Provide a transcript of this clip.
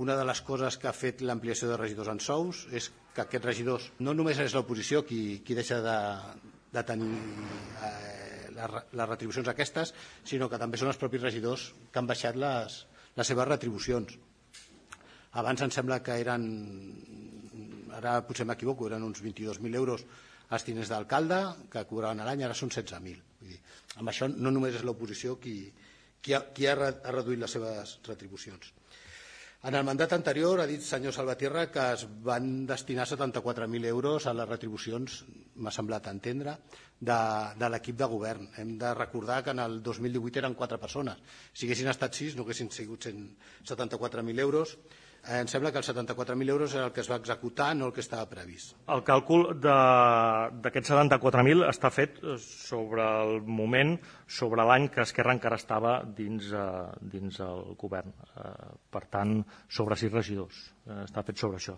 Una de les coses que ha fet l'ampliació de regidors en sous és que aquests regidors no només és l'oposició qui deixa de tenir les retribucions aquestes, sinó que també són els propis regidors que han baixat les seves retribucions. Abans em sembla que eren, ara potser m'equivoco, eren uns 22.000 euros els diners d'alcalde que cobraven a l'any, ara són 16.000. Amb això no només és l'oposició qui ha reduït les seves retribucions. En el mandat anterior ha dit el senyor Salvatierra que es van destinar 74.000 euros a les retribucions, m'ha semblat entendre, de l'equip de govern. Hem de recordar que en el 2018 eren 4 persones. Si haguessin estat 6 no haguessin sigut 74.000 euros. Em sembla que els 74.000 euros era el que es va executar, no el que estava previst. El càlcul d'aquests 74.000 està fet sobre el moment, sobre l'any que Esquerra encara estava dins el govern. Per tant, sobre 6 regidors. Està fet sobre això.